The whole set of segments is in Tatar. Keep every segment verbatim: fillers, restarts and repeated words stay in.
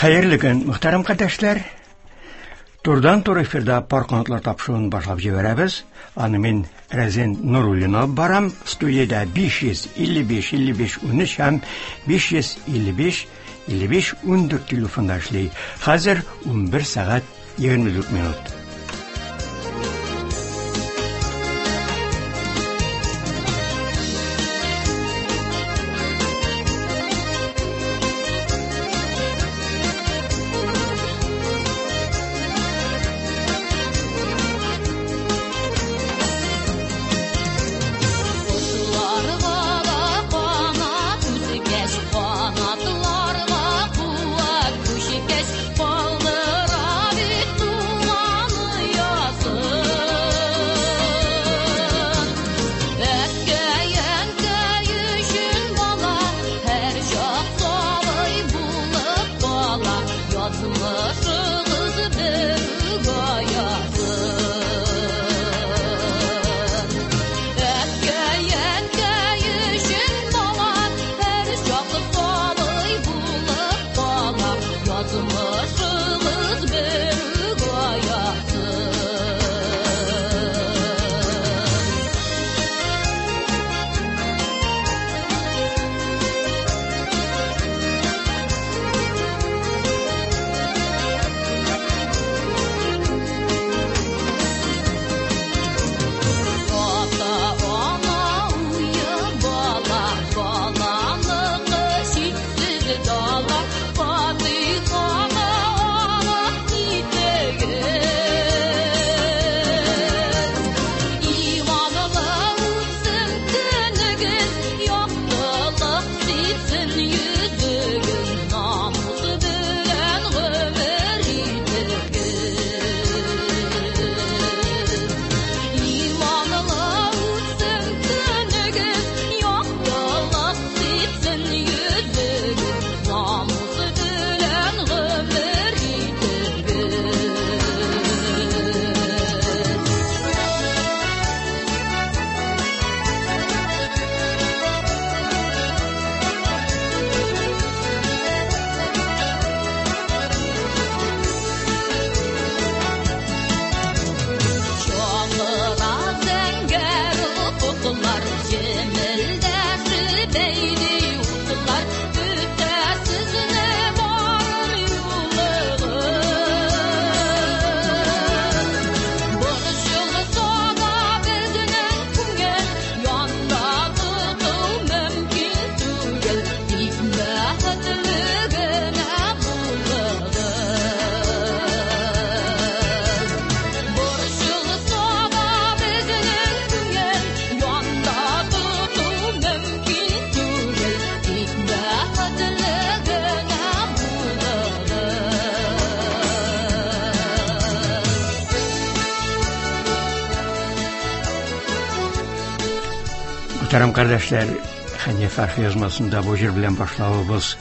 Хәерле көн, мөхтәрәм кардәшләр. Турыдан-туры эфирда Пар канатлар тапшыруын башлап җибәрәбез. Аны мин Рәзин Нуруллин алып барам. Студиядә биш йөз илле биш илле биш унөч һәм биш йөз илле биш илле биш ундүрт телефонда эшли. Хәзер унбер сәгать егерме дүрт минут. Мөхтәрәм кардәшләр, Хәния Фәрхи язмасында бу җыр белән башлавыбыз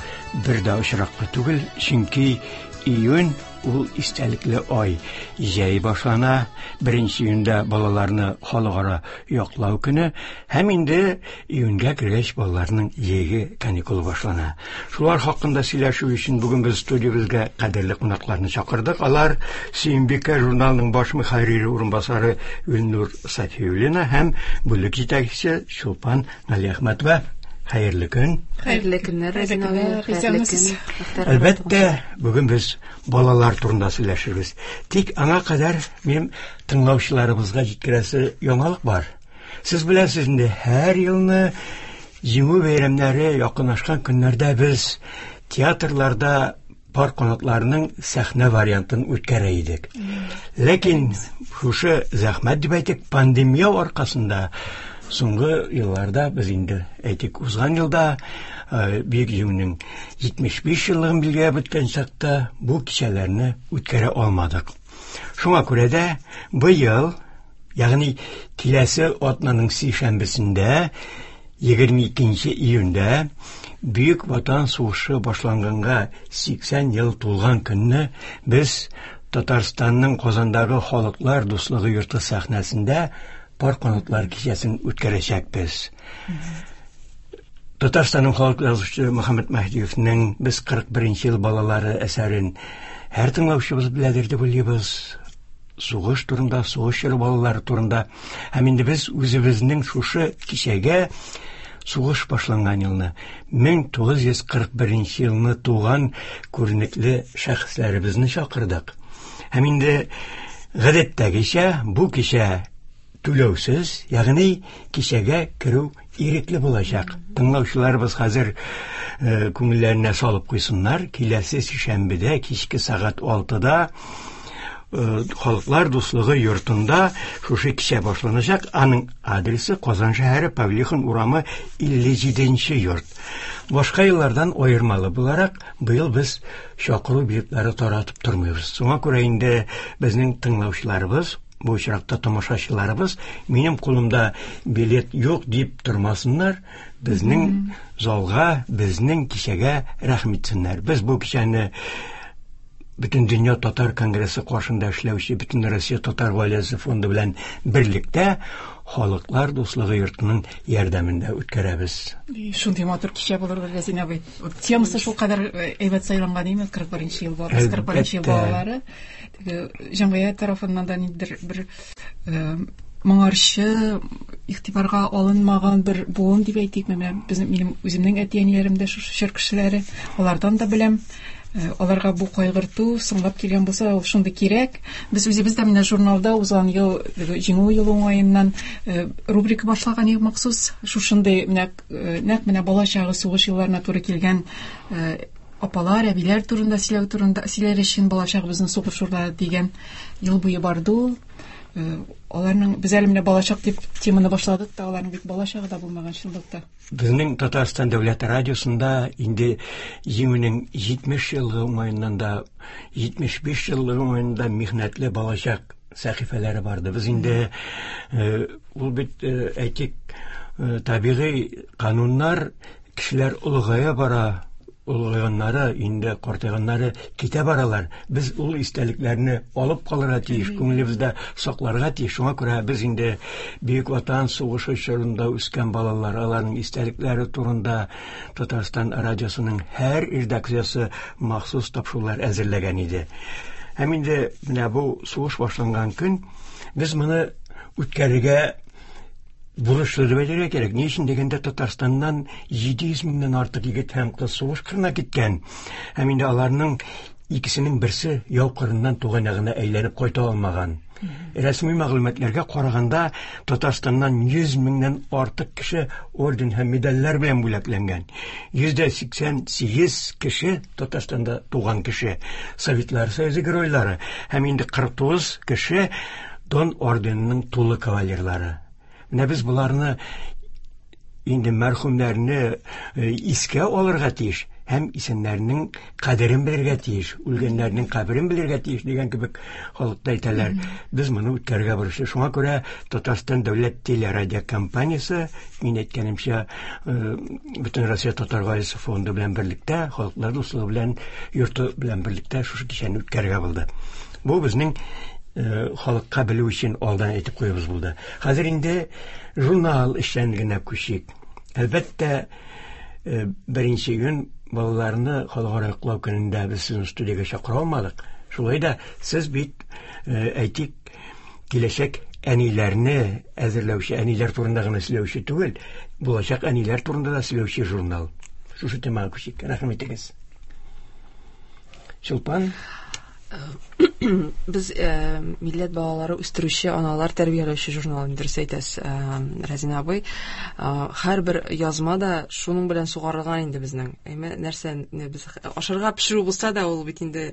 бер дә очраклы түгел, чөнки июнь ул истәлекле ай. Җәй башлана, беренче июньдә балаларны халыкара яклау көне һәм инде июньгә кергәч балаларның җәйге каникулы башлана. Шулар хакында сөйләшү өчен бүген без студиябезгә кадерле кунакларны чакырдык. Алар Сөембикә журналының баш мөхәррире урынбасары Гөлнур Сафиуллина һәм бүлек җитәкчесе Чулпан Галиәхмәтова. Хәерле көн. Хәерле көннәр, Рәзин абый. Хәерле көн. Әлбәттә, бүген без балалар турында сөйләшербез. Тик аңа кадәр минем тыңлаучыларыбызга җиткерәсе яңалык бар. Сез беләсез инде, һәр елны Җиңү бәйрәмнәре якынлашкан көннәрдә без театрларда пар канатларының сәхнә вариантын үткәрә идек. Ләкин шушы зәхмәт дип әйтик, пандемия аркасында соңгы елларда без инде әйтик, узган елда, э, Бөек Җиңүнең җитмеш биш еллыгын билгеләп үткән чакта бу кичәләрне үткәрә алмадык. Шуңа күрә дә быел, ягъни киләсе атнаның сишәмбесендә, егерме икенче июньдә Бөек Ватан сугышы башланганга сиксән ел тулган көнне без Татарстанның Казандагы Халыклар дуслыгы йорты сәхнәсендә пар канатлар кичәсен үткәрәчәкбез. Татарстанның халык язучысы Мөхәммәт Мәһдиевнең «Без кырык беренче ел балалары» әсәрен һәр тыңлаучыбыз беләдер дип уйлыйбыз. Сугыш турында, сугыш чоры балалары турында. Һәм инде без үзебезнең шушы кичәгә сугыш башланган елны, мең тугыз йөз кырык беренче елны туган күренекле шәхесләребезне чакырдык. Һәм инде гадәттәгечә бу кичә түләүсез, ягъни кичәгә керү ирекле булачак. Тыңлаучыларыбыз хәзер, э, күңелләренә салып куйсыннар. Киләсе сишәмбедә кичке сәгать алтыда, э, Халыклар дуслыгы йортында шушы кичә башланачак. Аның адресы Казан шәһәре, Павлихин урамы, илле җиденче йорт. Башка еллардан аермалы буларак, быел без чакыру билетлары таратып тормыйбыз. Шуңа күрә инде безнең тыңлаучыларыбыз, бу очракта тамашачыларыбыз, минем кулымда билет юк дип тормасыннар, безнең залга, безнең кичәгә рәхим итсеннәр. Без бу кичәне Бөтен дөнья татар конгрессы каршында эшләүче Бөтен Россия татар гаиләсе фонды белән берлектә Халыклар дуслыгы йортының ярдәмендә үткәрәбез. И, шундый матур кичә булыр, Рәзин абый. Темасы шул кадәр, э, әйбәт сайланган, әйме? Кырык беренче ел баласы, кырык беренче ел Әлбәттә. балалары. Теге җәмгыять тарафыннан да ниндидер бер, э, моңарчы игътибарга алынмаган бер буын дип әйтик. Менә безнең, минем үземнең әти-әниләрем дә шушы чор кешеләре, алардан да беләм. Э, аларга бу кайгырту соңлап килгән булса, ул шундый кирәк. Без үзебез дә менә журналда узган ел, Җиңү елы уңаеннан, э, рубрика башлаган идек махсус. Шушындый менә, э, нәкъ менә бала чагы сугыш елларына туры килгән, э, апалар, әбиләр турында сөйләү турында сөйләр өчен бала чагыбызның сугыш чорлары дигән ел буе барды ул. Э, аларның без әле менә балачак дип теманы башладык та, аларның бит бала чагы да булмаган чынлыкта. Безнең Татарстан дәүләт радиосында инде Җиңүнең җитмеш еллыгы уңаеннан да, җитмеш биш еллыгы уңаеннан да михнәтле балачак сәхифәләре барды. Без инде, э, ул бит, э, әйтик, э, табигый кануннар, кешеләр олыгая бара, олыгайганнары, инде картайганнары китә баралар. Без ул истәлекләрне алып калырга тиеш, күңелебездә сакларга тиеш. Шуңа күрә без инде Бөек Ватан сугышы чорында үскән балалар, аларның истәлекләре турында Татарстан радиосының һәр редакциясе махсус тапшырулар әзерләгән иде. Һәм инде менә бу сугыш башланган көн без моны үткәрергә бурычлы дип әйтергә кирәк. Ни өчен дигәндә, Татарстаннан җиде йөз меңнән артык егет һәм кыз сугыш кырына киткән. Һәм инде аларның икесенең берсе яу кырыннан туган ягына әйләнеп кайта алмаган. Рәсми мәгълүматларга караганда, Татарстаннан йөз меңнән артык кеше орден һәм медальләр белән бүләкләнгән. Йөз дә сиксән сигез кеше Татарстанда туган кеше, Советлар Союзы геройлары һәм инде кырык тугыз кеше Дон орденының тулы кавалерлары. Менә без боларны инде мәрхүмнәрне, э, искә алырга тиеш һәм исәннәрнең кадерен белергә тиеш, үлгәннәрнең каберен белергә тиеш дигән кебек халыкта әйтәләр. Без моны үткәрергә бурычлы. Шуңа күрә Татарстан дәүләт телерадиокомпаниясе, мин әйткәнемчә, э, Бөтен Россия татар гаиләсе фонды белән берлектә, Халыклар дуслыгы белән йорты белән берлектә шушы кичәне үткәрергә булды. Бу безнең, э, халыкка белү өчен алдан әйтеп куюыбыз булды. Хәзер инде журнал эшчәнлегенә күчик. Әлбәттә, э, беренче июнь балаларны халыкара йоклау көнендә без сезне студиягә чакыра алмадык. Шулай да сез бит, э, әйтик, киләчәк әниләрне әзерләүче, әниләр турында гына сөйләүче түгел, булачак әниләр турында да сөйләүче журнал. Шушы темага күчик. Рәхим итегез. Чулпан. Без, э, милләт балалары үстерүче, аналар тәрбияләүче журнал, дөрес әйтәсез, э, Рәзин абый. Э, һәрбер язма да шуның белән сугарылган инде безнең. Әйме, нәрсә, не, без ашарга пешерү булса да, ул бит инде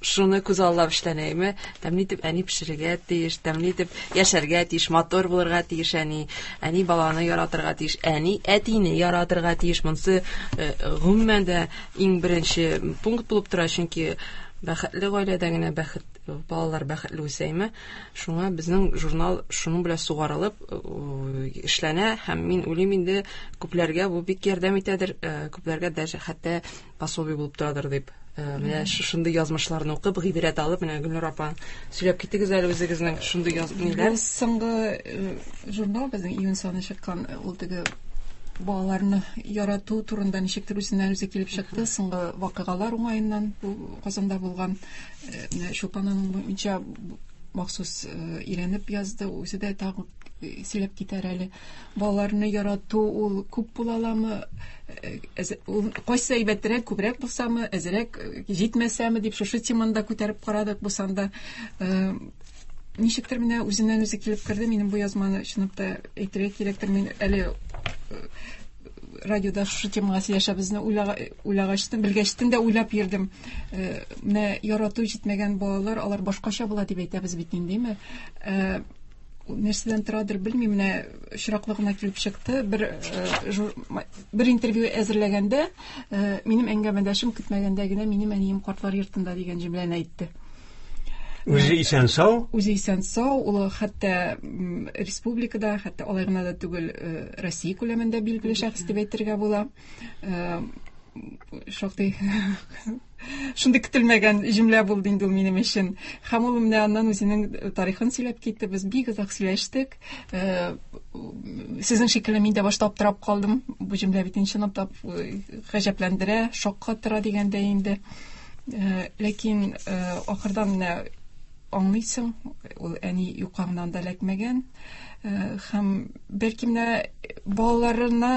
шуны күз аллап эшләнә, әйме? Тәмле итеп әни пешерергә тиеш, тәмле итеп яшәргә тиеш, матур булырга тиеш әни, әни баланы яратырга тиеш, әни әтине яратырга тиеш. Монысы, э, гомумән дә иң беренче пункт булып тора, чөнки бәхетле гаиләдә генә бәхет, балалар бәхетле үсәйме? Шуңа безнең журнал шуның белән сугарылып, э, эшләнә һәм мин уйлыйм инде күпләргә бу бик ярдәм итәдер, э, күпләргә даже хәтта пособие булып торадыр дип. Э, менә шушындый язмышларны укып, гыйбрәт алып, менә Гөлнур апа, сөйләп китегез әле үзегезнең шундый яз-, ниләр? Бу соңгы, э, журнал безнең июнь саны чыккан, ул теге Балаларны ярату турында ничектер үзеннән үзе килеп чыкты. Соңгы вакыйгалар уңаеннан бу Казанда булган менә Чулпанның буенча махсус өйрәнеп язды. Үзе дә тагы сөйләп китәр әле. Балаларны ярату ул күп була аламы? Ул кайсы әйбәтрәк, күбрәк булсамы, әзрәк җитмәсәме дип шушы теманы да күтәреп карадык бу санда. Ничектер менә үзеннән үзе килеп керде. Минем бу язманы чынлап та әйтергә кирәктер. Мин әле радиода шушы темага сөйләшәбезне уйлагачтын, белгәчтен дә уйлап йөрдем. Менә ярату җитмәгән балалар, алар башкача була дип әйтәбез бит инде, димме? Нәрсәдән торадыр белмим, менә очраклы гына килеп чыкты. Бер бер интервью әзерләгәндә, минем әңгәмәдәшем көтмәгәндә генә минем әнием картлар йортында дигән җөмләне әйтте. Үзе исән сау? Үзе исән сау, ул хәтта республикада, хәтта алай гына да түгел, Россия күләмендә билгеле шәхес дип әйтергә була. Шактый шундый көтелмәгән җөмлә булды инде ул минем өчен. Һәм ул менә аннан үзенең тарихын сөйләп китте. Без бик озак сөйләштек. Сезнең шикелле мин дә башта аптырап калдым. Бу җөмлә бит чынлап та гаҗәпләндерә, шаккатыра дигәндә инде. Ләкин ахырдан менә аңлыйсың, ул әни юкка гына да эләкмәгән. Һәм бәлки менә балаларына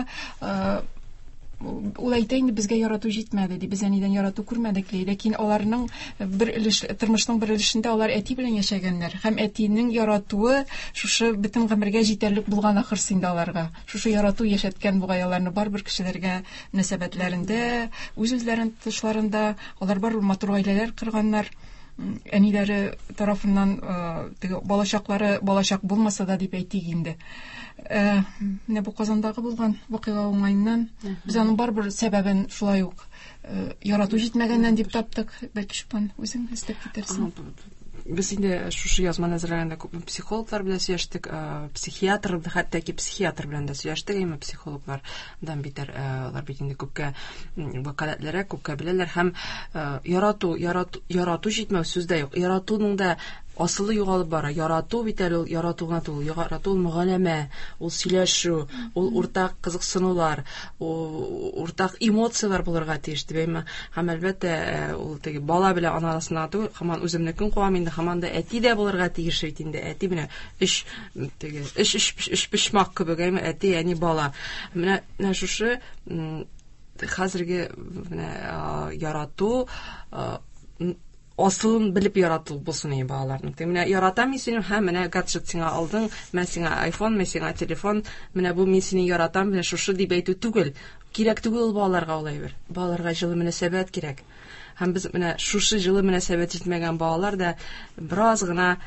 ул әйтә инде, безгә ярату җитмәде ди, без әнидән ярату күрмәдек ди. Ләкин аларның бер өлеш, тормышның бер өлешендә алар әти белән яшәгәннәр. Һәм әтинең яратуы шушы бөтен гомергә җитәрлек булган ахрысы инде аларга. Шушы ярату яшәткән бугай аларны барыбер кешеләргә мөнәсәбәтләрендә, үз-үзләрен тотышларында, алар барыбер матур гаиләләр корганнар. Әниләре тарафыннан теге балачаклары балачак булмаса да дип әйтик инде. Менә бу Казандагы булган вакыйга уңаеннан без аның барыбер сәбәбен шулай ук ярату җитмәгәннән дип таптык. Бәлки Чулпан үзең өстәп китерсең. Без инде шушы язманы әзерләгәндә күп психологлар белән сөйләштек, психиатр, хәтта ки психиатр белән дә сөйләштек, әмма психологлардан битәр, алар бит инде күпкә вәкаләтлерәк, күпкә беләләр. Һәм ярату, ярату, ярату җитмәү сүз дә юк. Яратуның да асылы югалып бара. Ярату бит әле ул ярату гына түгел, ярату ул мөгаләмә, ул сөйләшү, ул уртак кызыксынулар, ул уртак эмоцияләр булырга тиеш дип әйме. Һәм әлбәттә, ул теге бала белән ана арасында түгел, һаман үземнекен куам инде, һаман да әти дә булырга тиеш бит инде. Әти менә өч теге өч өч өч почмак кебек, әйме, әти, әни, бала. Менә менә шушы хәзерге менә ярату асылын белеп ярату булсын инде балаларның. Менә яратам мин сине, һәм менә гаджет сиңа алдың, менә сиңа iPhone, менә сиңа телефон, менә бу мин сине яратам, менә шушы дип әйтү түгел. Кирәк түгел ул балаларга ул әйбер. Балаларга җылы мөнәсәбәт кирәк. Һәм без менә шушы җылы мөнәсәбәт җитмәгән балалар да бераз гына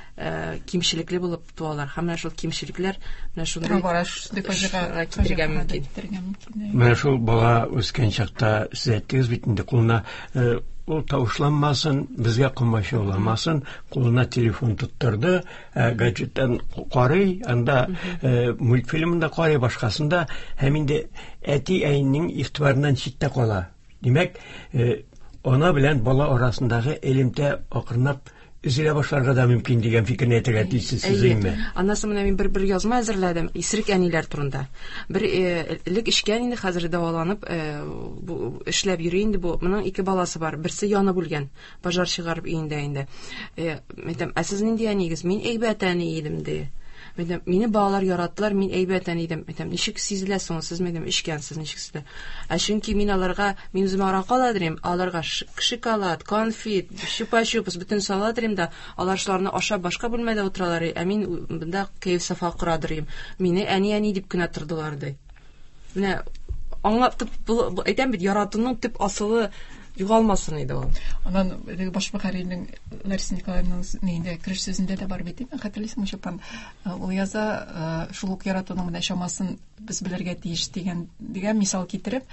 кимчелекле булып туалар. Һәм менә шул кимчелекләр менә шундый фаҗигага китерергә мөмкин. Менә шул бала үскән чакта сез әйттегез бит инде, кулына ул тавышланмасын, безгә комачауламасын, кулына телефон тоттырды, гаджеттан карый, анда мультфильмын да карый, башкасын да, һәм инде әти-әнинең игътибарыннан читтә кала. Димәк, ана белән бала арасындагы элемтә акрынлап өзелә башларга да мөмкин дигән фикерне әйтергә тиешсез сез, әйеме? Аннан соң менә мин бер бер язма әзерләдем исерек әниләр турында. Бер элек эчкән инде, хәзер дәваланып, эшләп йөри инде бу. Моның ике баласы бар. Берсе янып үлгән, пожар чыгарып өендә инде. Әйтәм, ә сез нинди әнигез? Мин әйбәт әни идем, ди. Әйтәм, мине балалар яраттылар, мин әйбәт әни идем. Әйтәм, ничек сизелә соң, сез әйтәм, эчкәнсез, ничек сизелә? Ә чөнки мин аларга, мин үземә аракы ала дирем, аларга шоколад, конфет, чупа-чупс бөтен сала дирем дә, алар шуларны ашап башка бүлмәдә утыралар, ә мин монда кәеф-сафа кора дирем. Мине әни-әни дип кенә тордылар, ди. Менә аңлатып, әйтәм бит, яратуның төп асылы югалмасын иде ул. Аннан теге баш мөхәррирнең Лариса Николаевнаның нинди кереш сүзендә дә бар бит, хәтерлисеңме, Чулпан? Ул яза, шул ук яратуның менә чамасын без белергә тиеш дигән дигән мисал китереп,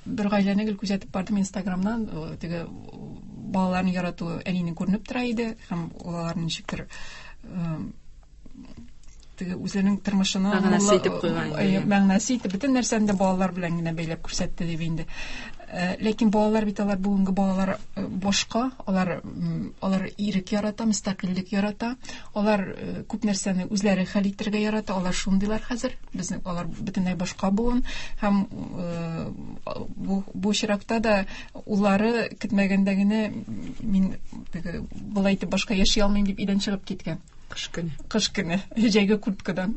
бер гаиләне гел күзәтеп бардым Инстаграмнан, теге балаларны ярату әнинең күренеп тора иде, һәм аларны ничектер теге үзләренең тормышына мәгънәсе итеп куйган иде. Мәгънәсе итеп бөтен нәрсәне дә балалар белән генә бәйләп күрсәтте дип инде. Ләкин балалар бит алар бүгенге балалар башка, алар алар ирек ярата, мөстәкыйльлек ярата, алар күп нәрсәне үзләре хәл итәргә ярата, алар шундыйлар хәзер. Безнең алар бөтенләй башка буын һәм бу бу очракта да уллары көтмәгәндә генә мин болай итеп башка яши алмыйм дип өйдән чыгып киткән. Кыш көне. Кыш көне. Җәйге курткадан.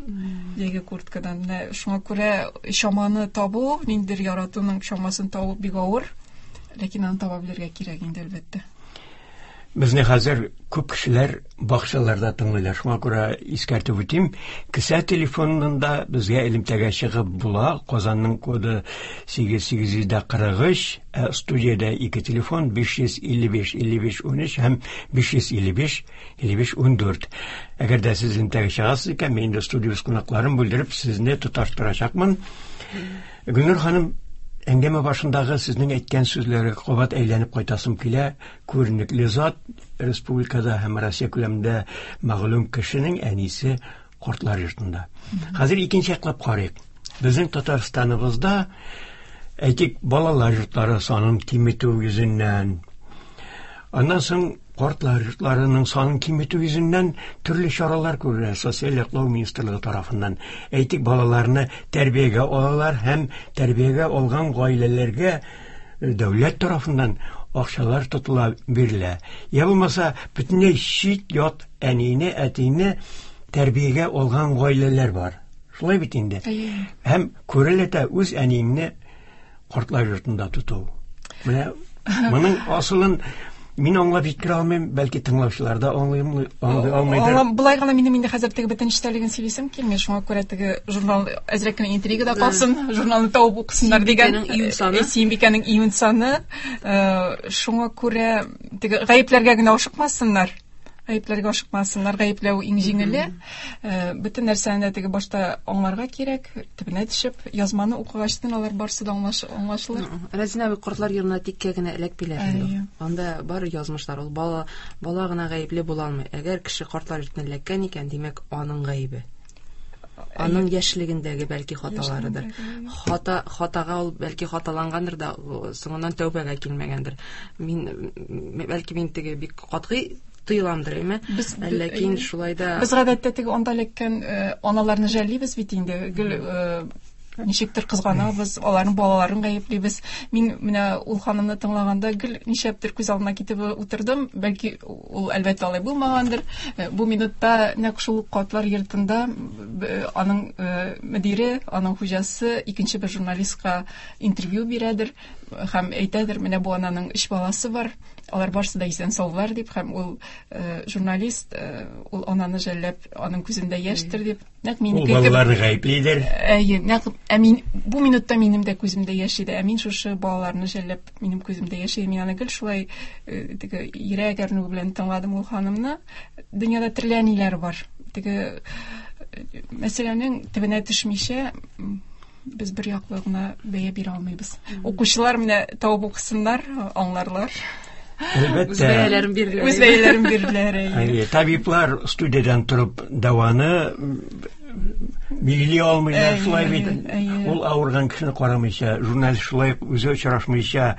Җәйге курткадан. Менә шуңа күрә чаманы табу, ниндидер яратуның чамасын табу бик авыр, ләкин аны таба белергә кирәк инде, әлбәттә. Безне хәзер күп кешеләр бакчаларда тыңлыйлар. Шуңа күрә искәртеп үтим, кесә телефонында безгә элемтәгә чыгып була. Казанның коды сигез сигез йөз кырык өч, ә студиядә ике телефон биш йөз илле биш илле биш унөч һәм биш йөз илле биш илле биш ундүрт. Әгәр дә сез элемтәгә чыгасыз икән, мин инде студиябез кунакларын бүлдереп сезне тоташтырачакмын. Гөлнур ханым, әңгәмә башындагы сезнең әйткән сүзләргә кабат әйләнеп кайтасым килә. Күренекле зат, республикада һәм Россия күләмендә мәгълүм кешенең әнисе картлар йортында. Хәзер икенче яклап карыйк. Безнең Татарстаныбызда, әйтик, балалар йортлары санын киметү йөзеннән, аннан соң картлар йортларының санын киметү йөзеннән төрле чаралар күрелә Социаль яклау министрлыгы тарафыннан. Әйтик, балаларны тәрбиягә алалар һәм тәрбиягә алган гаиләләргә дәүләт тарафыннан акчалар тотыла бирелә. Я булмаса, бөтенләй чит ят әнине, әтине тәрбиягә алган гаиләләр бар. Шулай бит инде. Һәм күрелә дә үз әниеңне картлар йортында тоту. Менә моның асылын мин аңлап җиткерә алмыйм, бәлки тыңлаучылар да аңлый алмыйдыр. Болай гына минем инде хәзер теге бөтен эчтәлеген сөйлисем килми, шуңа күрә теге журнал әзрәк кенә интригада калсын, журналны табып укысыннар дигән. Сөембикәнең июнь саны. Шуңа күрә теге гаепләргә генә ашыкмасыннар. Гаепләргә ашыкмасыннар, гаепләү иң җиңеле. Бөтен нәрсәне дә теге башта аңларга кирәк, төбенә төшеп, язманы укыгачтын алар барысы да аңлашылыр. Рәзинә абый, картлар йортына тиккә генә эләкмиләр инде. Анда бар язмышлар, ул бала, бала гына гаепле була алмый. Әгәр кеше картлар йортына эләккән икән, димәк, аның гаебе. Аның яшьлегендәге бәлки хаталарыдыр. Хата, хатага ул бәлки хаталангандыр да, соңыннан тәүбәгә килмәгәндер. Мин бәлки мин теге бик катгый тыйламдыр, әйме? Ләкин шулай да без гадәттә теге анда эләккән аналарны жәллибез бит инде. Гел ничектер кызганабыз, аларның балаларын гаеплибез. Мин менә ул ханымны тыңлаганда гел нишләптер күз алдына китеп утырдым. Бәлки ул әлбәттә алай булмагандыр. Бу минутта нәкъ шул картлар йортында аның мөдире, аның хуҗасы икенче бер журналистка интервью бирәдер һәм әйтәдер, менә бу ананың өч баласы бар, алар барысы да исән саулар дип, һәм ул журналист ул ананы жәлләп, аның күзендә яшьтер дип. Нәкъ минеке кебек. Ул балаларны гаеплидер. Әйе, нәкъ ә мин бу минутта минем дә күземдә яшь иде. Ә мин шушы балаларны жәлләп, минем күземдә яшь иде. Мин аны гел шулай теге йөрәк әрнүе белән тыңладым ул ханымны. Дөньяда төрле әниләр бар. Теге мәсьәләнең төбенә төшмичә без бер яклы гына бәя бирә алмыйбыз. Укучылар менә табып укысыннар, аңларлар. Әлбәттә. Үз бәяләрен бирделәр. Үз бәяләрен бирделәр. Әйе, табиблар студиядән торып дәваны билгели алмыйлар, шулай бит. Ул авырган кешене карамыйча, журналист шулай үзе очрашмыйча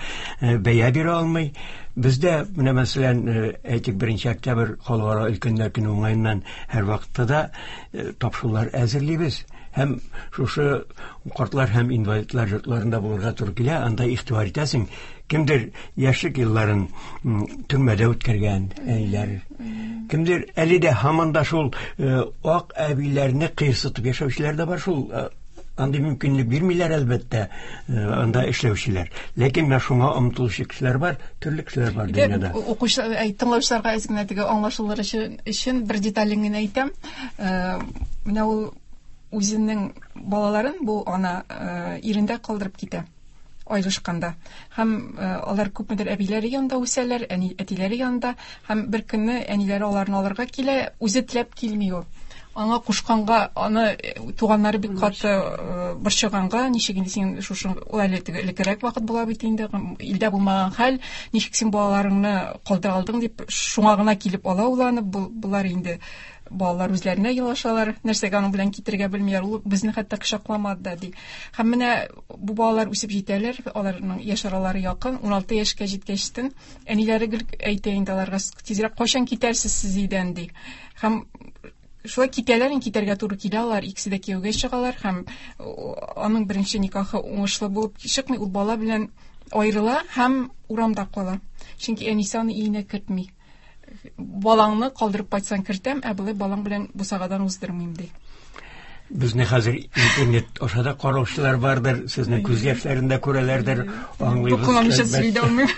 бәя бирә алмый. Бездә менә мәсәлән, әйтик, беренче октябрь халыкара өлкәннәр көне уңаеннан һәр вакытта да тапшырулар әзерлибез. Һәм шушы картлар һәм инвалидлар йортларында булырга туры килә, анда игътибар итәсең, кемдер яшьлек елларын төрмәдә үткәргән әниләр, кемдер әле дә һаман да шул ак әбиләрне кыерсытып яшәүчеләр дә бар шул. Андый мөмкинлек бирмиләр әлбәттә, анда эшләүчеләр. Ләкин менә шуңа омтылучы кешеләр бар, төрле кешеләр бар дөньяда. Укучылар, тыңлаучыларга әз генә теге аңлашылыр өчен бер детален генә әйтәм. Менә ул үзенең балаларын бу ана ирендә калдырып китә аерылышканда. Һәм алар күпмедер әбиләре янында үсәләр, әни, әтиләре янында, һәм бер көнне әниләре аларны алырга килә, үзе теләп килми ул. Аңа кушканга, аны туганнары бик каты борчыганга, ничек инде син шушы ул әле элеккерәк вакыт була бит инде, илдә булмаган хәл, ничек син балаларыңны калдыра алдың дип, шуңа гына килеп ала ул аны, болар инде Балалар үзләренә елашалар, нәрсәгә аның белән китергә белмиләр, ул безне хәтта кочакламады да, ди. Һәм менә бу балалар үсеп җитәләр, аларның яшь аралары якын, уналты яшькә җиткәчтен әниләре гел әйтә инде аларга, тизрәк кайчан китәрсез сез өйдән, ди. Һәм шулай китәләр, инде китәргә туры килә алар, икесе дә кияүгә чыгалар һәм аның беренче никахы уңышлы булып чыкмый, ул бала белән аерыла һәм урамда кала. Чөнки әнисе аны өенә кертми. Балаңны калдырып кайтсаң кертәм, ә болай балаң белән бусагадан уздырмыйм, ди. Безне хәзер интернет аша да караучылар бардыр, сезнең күз яшьләрен дә күрәләрдер, аңлыйбыз. Тукымамча сөйли дә алмыйм.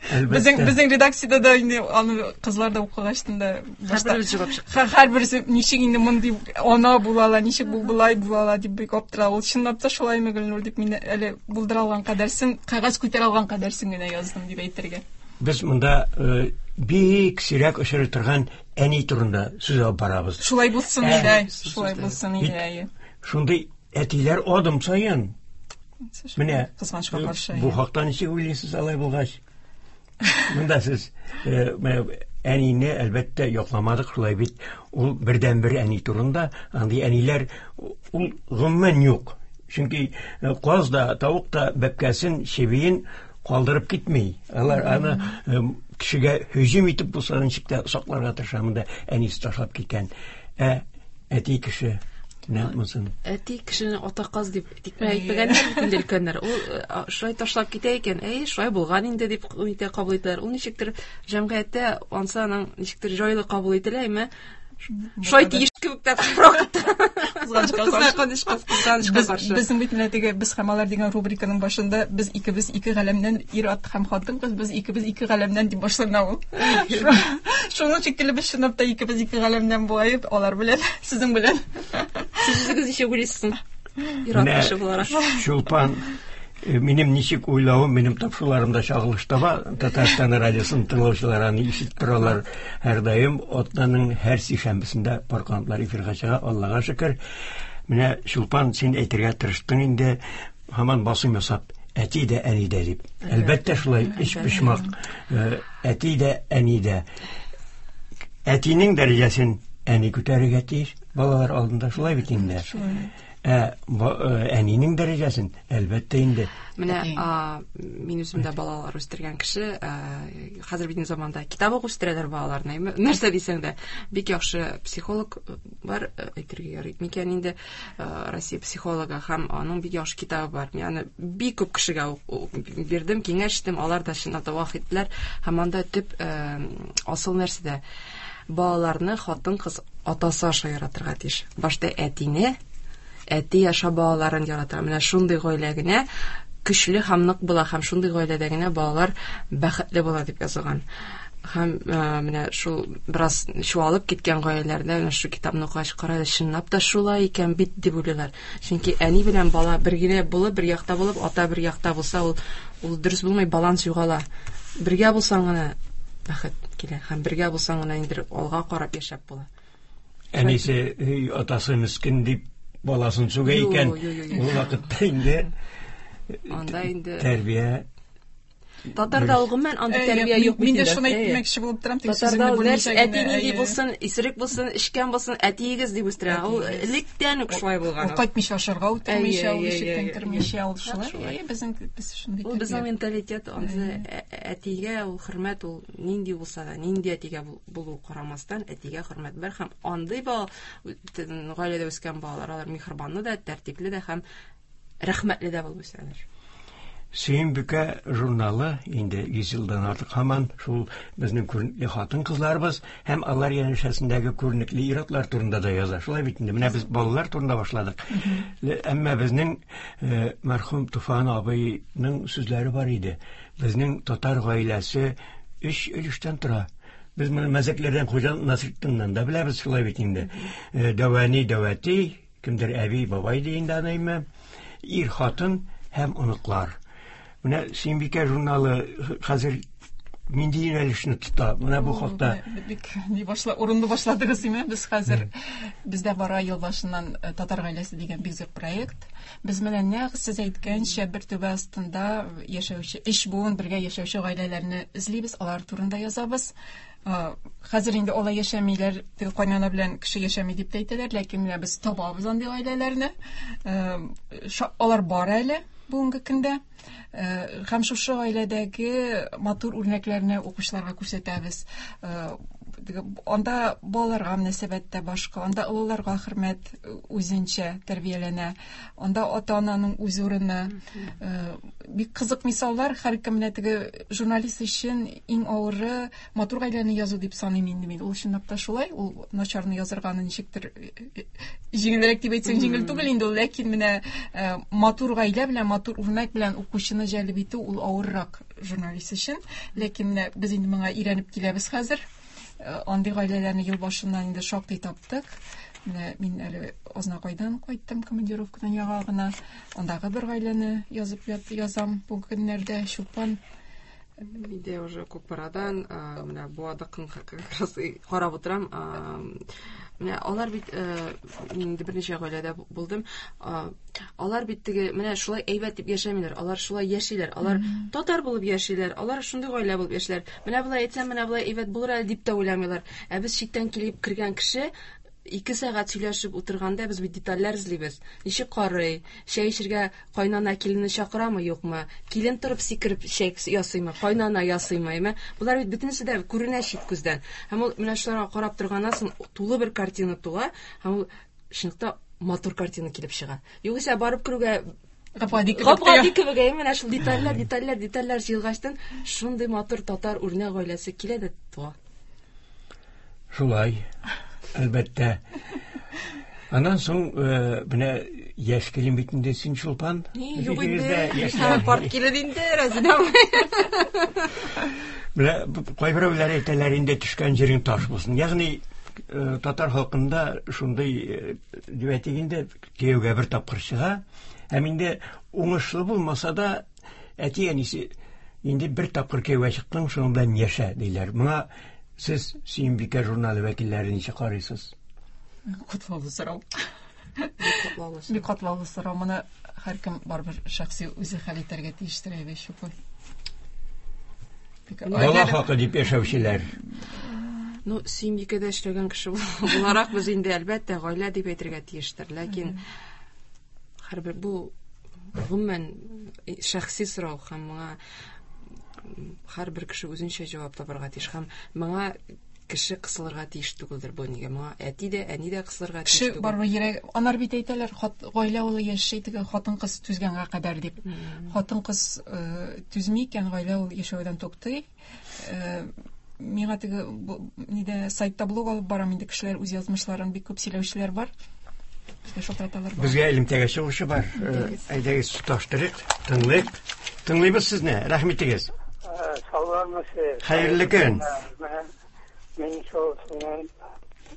Безнең, безнең редакциядә дә инде аны кызлар да укыгачтын да башта Һәрберебез җавап чыкты. Һәрберсе ничек инде мондый ана була ала, ничек бу болай була ала дип бик аптыра. Ул чынлап та шулаймы, Гөлнур, дип мин әле булдыра алган кадәрсен, кәгазь күтәрә алган кадәрсен генә яздым дип әйтергә. Без монда, э, бик сирәк очрый торган әни турында сүз алып барабыз. Шулай булсын Ә, иде, шулай булсын иде, әйе. Шундый әтиләр адым саен. Менә кызганычка каршы. Бу хакта ничек уйлыйсыз алай булгач? Монда сез, э, менә әнине әлбәттә якламадык, шулай бит. Ул бердәнбер әни турында, андый әниләр ул гомумән юк. Чөнки, э, каз да, тавык та бәбкәсен, чебиен калдырып китми. Алар аны, э, кешегә һөҗүм итеп булса ничек тә сакларга тырыша. Монда әнисе ташлап киткән. Ә әти кеше менә монысын. Әти кешене ата каз дип тикмә әйтмәгәннәр бит инде өлкәннәр. Ул, э, шулай ташлап китә икән, әй, шулай булган инде дип итә кабул итәләр. Ул ничектер җәмгыятьтә ансы аның ничектер җайлы кабул ителә, әйме? Шулай тиеш кебек тә күбрәк. Кызганычка каршы. Кызганычка, кызганычка Без, каршы. Безнең бит менә теге без һәм алар дигән рубриканың башында без икебез ике галәмнән, ир-ат һәм хатын-кыз, без икебез ике галәмнән дип башлана ул. Шуның шикелле без чынлап та икебез ике галәмнән буайып, алар белән, сезнең белән. Сез үзегез ничек уйлыйсыз? Ир-ат Менә кеше буларак. Чулпан, э, минем ничек уйлавым, минем тапшыруларымда чагылыш таба. Татарстан радиосын тыңлаучылар аны ишетеп торалар һәрдаим. Атнаның һәр сишәмбесендә пар канатлар эфирга чыга, Аллага шөкер. Менә Чулпан, син әйтергә тырыштың инде, һаман басым ясап, әти дә, әни дә дип. Әлбәттә шулай, өч почмак, э, әти дә, әни дә. Әтинең дәрәҗәсен әни күтәрергә тиеш, балалар алдында шулай бит инде. Шулай. Ә, ба-, э, әнинең дәрәҗәсен әлбәттә инде. Менә, Әти. а, мин үзем дә балалар үстергән кеше, а, хәзер бит инде заманда китап укып үстерәләр балаларны, әйме? Нәрсә дисәң дә, бик яхшы психолог бар, әйтергә ярый микән инде, а, Россия психологы, һәм аның бик яхшы китабы бар. Мин аны бик күп кешегә ук-, ук бирдем, киңәш иттем, алар да чынлап та ваф иттеләр. Һәм анда төп, э, асыл нәрсәдә балаларны хатын-кыз атасы аша яратырга тиеш. Башта әтине, әти аша балаларын ярата. Менә шундый гаилә генә көчле һәм нык була, һәм шундый гаиләдә генә балалар бәхетле була дип язылган. Һәм, э, менә шул бераз чуалып киткән гаиләләрдә менә шу китапны укыгач, кара әле, чынлап та шулай икән бит дип уйлыйлар. Чөнки әни белән бала бер генә булып, бер якта булып, ата бер якта булса, ул, ул дөрес булмый, баланс югала. Бергә булсаң гына бәхет килә, һәм бергә булсаң гына инде алга карап яшәп була. Әнисе, эй, атасы мискин дип баласын сүгә Юк, икән, юк, юк, юк. ул вакытта инде Анда инде тәрбия Татарда ул гомумән андый Әйе, тәрбия мин- юк бит Мин дә инде. шуны Әйе. әйтмәкче булып торам, тик Татарда сүзеңне ул бүлмичә нәрсә, генә, әти нинди әйе. булсын, исерек булсын, эчкән булсын, әтиегез дип үстерә. Ул Әтиегез. электән үк шулай булган. Ул кайтмыйча ашарга утырмыйча, Әйе, ул әйе, ишектән әйе, кермичә, ул әйе. шулай. Шулай. Әйе, безнең, без шундый Ул безнең тәрбия. менталитет, ансы әтигә ул хөрмәт, ул нинди булса да, нинди әтигә бул-, булу карамастан, әтигә хөрмәт бар һәм андый бала, гаиләдә үскән балалар, алар миһербанлы да, тәртипле дә һәм рәхмәтле дә булып үсәләр. Сөембикә журналы инде йөз елдан артык һаман шул безнең күренекле хатын-кызларыбыз һәм алар янәшәсендәге күренекле ир-атлар турында да яза. Шулай бит инде. Менә без балалар турында башладык. Ле-, әмма безнең, э, мәрхүм Туфан абыйның сүзләре бар иде. Безнең татар гаиләсе өч өлештән тора. Без моны мәзәкләрдән Хуҗа Насретдиннән дә беләбез, шулай бит инде. Э, дәвәни, дәвәти, кемдер әби, бабай ди инде аны, әйме? Ир, хатын һәм оныклар. Менә Сөембикә журналы хәзер нинди юнәлешне тота? Менә бу Ул, хакта. менә бик ни башла, урынлы башладыгыз, име? Без хәзер, бездә бара ел башыннан, э, Татар гаиләсе дигән бик зур проект. Без менә нәкъ сез әйткәнчә бер түбә астында яшәүче, өч буын бергә яшәүче гаиләләрне эзлибез, алар турында язабыз. Хәзер инде алай яшәмиләр, теге кайнана белән кеше яшәми дип тә әйтәләр, ләкин менә без табабыз андый гаиләләрне. Алар бар әле бүгенге көндә. Һәм шушы гаиләдәге матур үрнәкләрне укучыларга күрсәтәбез. Анда балаларга мөнәсәбәт тә башка, анда олыларга хөрмәт үзенчә тәрбияләнә, анда ата-ананың үз урыны. Бик кызык мисаллар. Һәркем менә теге журналист өчен иң авыры матур гаиләне язу дип саныйм инде мин. Ул чынлап та шулай, ул начарны язырганы ничектер җиңелрәк дип әйтсәң, җиңел түгел инде ул, ләкин менә матур гаилә белән, матур үрнәк белән укучыны җәлеп итү ул авыррак журналист өчен. Ләкин менә без инде моңа өйрәнеп киләбез хәзер. Андый гаиләләрне ел башыннан инде шактый таптык. Менә мин әле Азнакайдан кайттым командировкадан яңа гына. Андагы бер гаиләне язып язам бу көннәрдә. Чулпан. Мин уже Кукмарадан, менә Буадыкын как раз карап утырам. Менә алар бит, мин инде берничә гаиләдә булдым. Алар бит теге менә шулай әйбәт дип яшәмиләр, алар шулай яшиләр, алар татар булып яшиләр, алар шундый гаилә булып яшиләр. Менә болай әйтсәм, менә болай әйбәт булыр әле дип тә уйламыйлар. Ә без читтән килеп кергән кеше ике сәгать сөйләшеп утырганда без бит детальләр эзлибез. Ничек карый, чәй эчергә кайнана киленне чакырамы, юкмы? Килен торып сикереп чәй ясыймы, кайнана ясыймы, әйме? Болар бит бөтенесе дә күренә чит күздән. Һәм ул менә шуларга карап торганнан соң тулы бер картина туа, һәм ул чынлыкта матур картина килеп чыга. Югыйсә барып керүгә гап-гади кебек, гап-гади кебек, әйме, менә шул детальләр, детальләр, детальләр җыелгачтан шундый матур татар үрнәк гаиләсе килә дә туа. Шулай. Әлбәттә. Аннан соң менә яшь килен бит инде син, Чулпан. Юк инде. Карт килен инде, Рәзинә абый. Менә кайберәүләр әйтәләр инде төшкән җирең таш булсын. Ягъни татар халкында шундый дип әйтик инде, кияүгә бер тапкыр чыга, һәм инде уңышлы булмаса да әти-әнисе инде бер тапкыр кияүгә чыктың, шуның белән яшә диләр. Моңа сез Сөембикә журналы вәкилләре ничек карыйсыз? Катлаулы сорау. Бик катлаулы сорау. Моны һәркем барыбер шәхси үзе хәл итәргә тиештер, әйбәт Чулпан. Бала хакы дип яшәүчеләр. Ну, Сөембикәдә эшләгән кеше буларак без инде әлбәттә гаилә дип әйтергә тиештер. Ләкин һәрбер бу гомумән шәхси сорау һәм моңа һәрбер кеше үзенчә җавап табарга тиеш һәм моңа кеше кысылырга тиеш түгелдер бу нигә. Моңа әти дә, әни дә кысылырга тиеш Кеше түгел. барыбер йөрәк, анар бит әйтәләр, гаилә ул яши теге хатын-кыз түзгәнгә кадәр дип. Хатын-кыз түзми икән, гаилә ул яшәүдән туктый. Миңа теге нидә сайтта блог алып барам инде, кешеләр үз язмышларын бик күп сөйләүчеләр бар. Безгә шалтыраталар бар. Безгә элемтәгә чыгучы бар. Әйдәгез тоташтырыйк, тыңлыйк. Тыңлыйбыз сезне. Рәхмәт итегез. Саулармысыз? Хәерле көн. Мин шул сезнең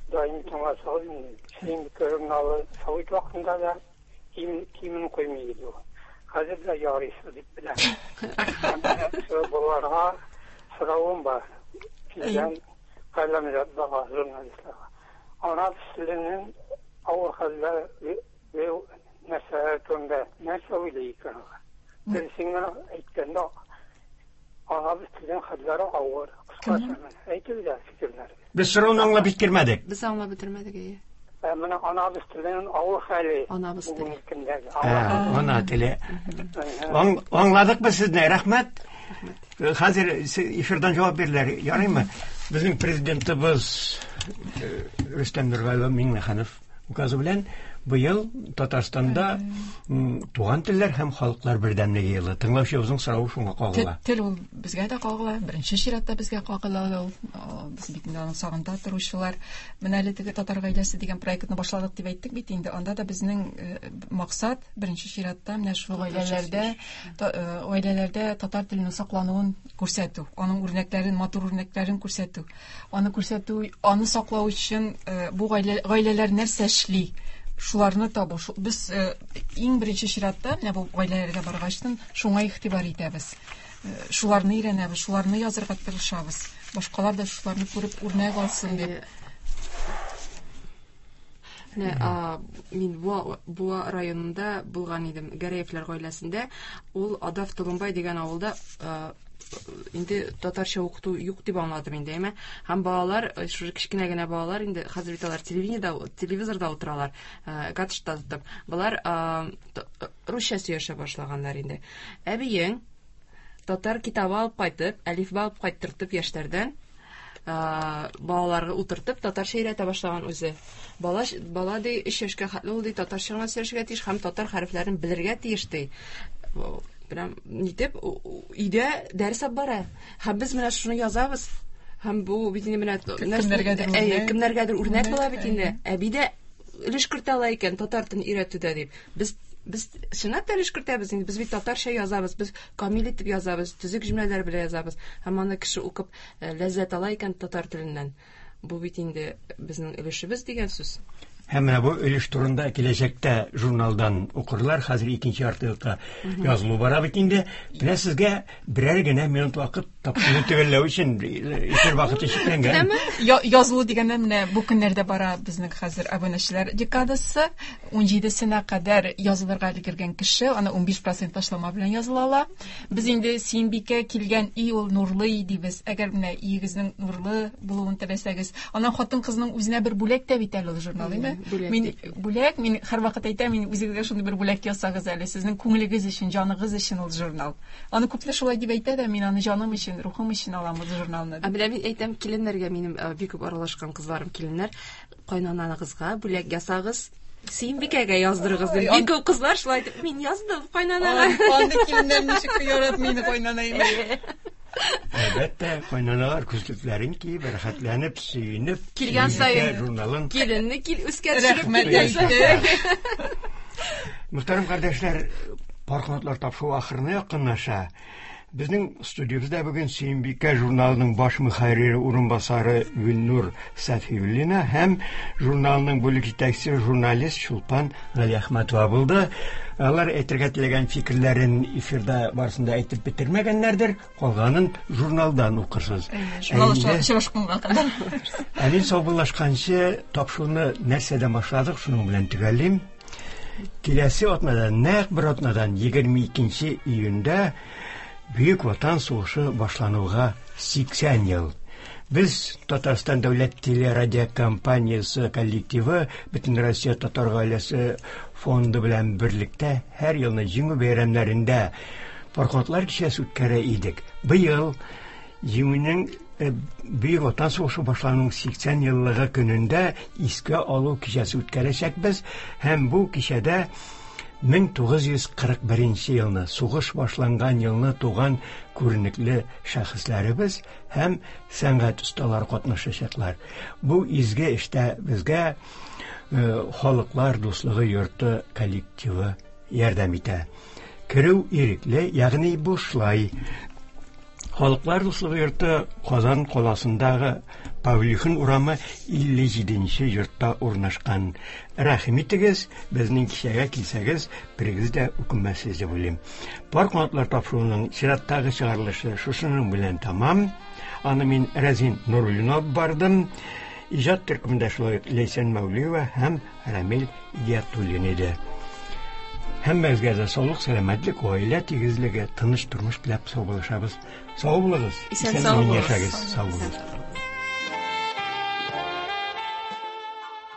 даими тыңлаучы. Сөембикә журналы совет вакытында да кимен куймый иде ул. Хәзер дә ярыйсы дип беләм. Шул балаларга соравым бар. Сездән каләмзатларга, журналистларга. Ана теленең авыр хәлләр вә нәрсәләр турында нәрсә уйлый икән ул? Дөресен генә әйткәндә, ана теленең хәлләре авыр. Кыскача әйтелде фикерләр. Без сорауны аңлап бетермәдек. Без аңлап бетермәдек, әйе. Менә ана теленең авыр хәле. Анабыз теле. Ана теле. Аңладык без сезне, рәхмәт. Хәзер эфирдан җавап бирелер, ярыймы? Безнең президентыбыз Рөстәм Нургалиев Миңнеханов указы белән быел Татарстанда туган телләр һәм халыклар бердәмлеге елы. Тыңлаучыбызның соравы шуңа кагыла. Тел ул безгә дә кагыла, беренче чиратта безгә кагыла ул. Без бит инде аның сагында торучылар. Менә әле теге Татар гаиләсе дигән проектны башладык дип әйттек бит инде. Анда да безнең максат беренче чиратта менә шул гаиләләрдә, гаиләләрдә татар теленең саклануын күрсәтү, аның үрнәкләрен, матур үрнәкләрен күрсәтү. Аны күрсәтү, аны саклау өчен бу гаиләләр нәрсә эшли? Шуларны табу. Без иң беренче чиратта менә бу гаиләләргә баргачтын шуңа игътибар итәбез. Шуларны өйрәнәбез, шуларны язырга тырышабыз. Башкалар да шуларны күреп үрнәк алсын дип. Менә мин Буа, Буа районында булган идем, Гәрәевләр гаиләсендә. Ул Адав Толымбай дигән авылда инде татарча укыту юк дип аңладым инде, әйме? Һәм балалар, шушы кечкенә генә балалар инде хәзер бит алар телевидениедә, телевизорда утыралар, гаджетта тотып. Болар русча сөйләшә башлаганнар инде. Әбиең татар китабы алып кайтып, әлифба алып кайттыртып яшьләрдән балаларга утыртып татарча өйрәтә башлаган үзе. Бала бала ди өч яшькә хәтле ул ди татарча гына сөйләшергә тиеш һәм татар хәрефләрен белергә тиеш ди. Прям нитеп өйдә дәрес алып бара. Һәм без менә шуны язабыз. Һәм бу бит инде менә кемнәргәдер үрнәк, кемнәргәдер үрнәк була бит инде. Әби дә өлеш кертә ала икән татар телен өйрәтүдә дип. Без Без чынлап та өлеш кертәбез инде. Без бит татарча язабыз, без камил итеп язабыз, төзек җөмләләр белән язабыз. Һәм аны кеше укып ләззәт ала икән татар теленнән. Бу бит инде безнең өлешебез дигән сүз. Һәм менә бу өлеш турында киләчәктә журналдан укырлар. Хәзер икенче ярты елга язылу бара бит инде. Менә сезгә берәр генә минут вакыт тапшыру төгәлләү өчен эфир вакыты чикләнгән. Язылу дигәндә менә бу көннәрдә бара безнең хәзер абунәчеләр декадасы. ун җидесенә кадәр язылырга өлгергән кеше аны ун биш процент ташлама белән языла ала. Без инде Сөембикә килгән өй ул нурлы өй дибез. Әгәр менә өегезнең нурлы булуын теләсәгез, аннан хатын-кызның үзенә бер бүләк тә бит әле ул журнал, әйме? Мин бүләк, мин һәрвакыт әйтәм, мин үзегезгә шундый бер бүләк ясагыз әле, сезнең күңелегез өчен, җаныгыз өчен ул журнал. Аны күпләр шулай дип әйтә дә, мин аны җаным өчен, рухым өчен алам ул журналны. Ә менә мин әйтәм киленнәргә, минем бик күп аралашкан кызларым киленнәр, кайнананыгызга бүләк ясагыз, Сөембикәгә яздырыгыз дип. Бик күп кызлар шулай дип, мин яздым кайнанага. Андый киленнәр ничек яратмый инде кайнанайны. Әлбәттә, кайнаналар күзлекләрен киеп, рәхәтләнеп, сөенеп, килгән саен журналын киленне кил үскә төшереп килгән. Мөхтәрәм кардәшләр, Пар канатлар тапшыруы ахырына якынлаша. Безнең студиябездә бүген Сөембикә журналының баш мөхәррире урынбасары Гөлнур Сафиуллина һәм журналның бүлек җитәкчесе журналист Чулпан Галиәхмәтова булды. Алар әйтергә теләгән фикерләрен эфирда барысын да әйтеп бетермәгәннәрдер, калганын журналдан укырсыз. Журнал очрашканга кадәр. Ә мин саубуллашканчы тапшыруны нәрсәдән башладык, шуның белән төгәллим. Киләсе атнадан, нәкъ бер атнадан егерме икенче июньдә Бөек Ватан сугышы башлануга сиксән ел. Без Татарстан дәүләт телерадиокомпаниясе коллективы Бөтенроссия татар гаиләсе фонды белән берлектә һәр елны Җиңү бәйрәмнәрендә Пар канатлар кичәсе үткәрә идек. Быел Җиңүнең Бөек Ватан сугышы башлануның сиксән еллыгы көнендә искә алу кичәсе үткәрәчәкбез һәм бу кичәдә мең тугыз йөз кырык беренче елны сугыш башланган елны туган күренекле шәхесләребез һәм сәнгать осталары катнашачаклар. Бу изге эштә безгә Халыклар дуслыгы йорты коллективы ярдәм итә. Керү ирекле, ягъни бушлай. Халыклар дуслыгы йорты Казан каласындагы Павлихин урамы илле җиденче йортта урнашкан. Рәхим итегез, безнең кичәгә килсәгез, берегез дә үкенмәссез дип уйлыйм. Пар канатлар тапшыруының чираттагы чыгарылышы шушының белән тәмам. Аны мин Рәзин Нуруллин алып бардым. Иҗат төркемендә шулай ук Ләйсән Мәүлиева һәм Рамил Идиятуллин иде. Һәммәгезгә дә саулык, сәламәтлек, гаилә тигезлеге, тыныч тормыш теләп саубуллашабыз. Сау булыгыз. Исән сау булыгыз. Яшәгез, сау булыгыз.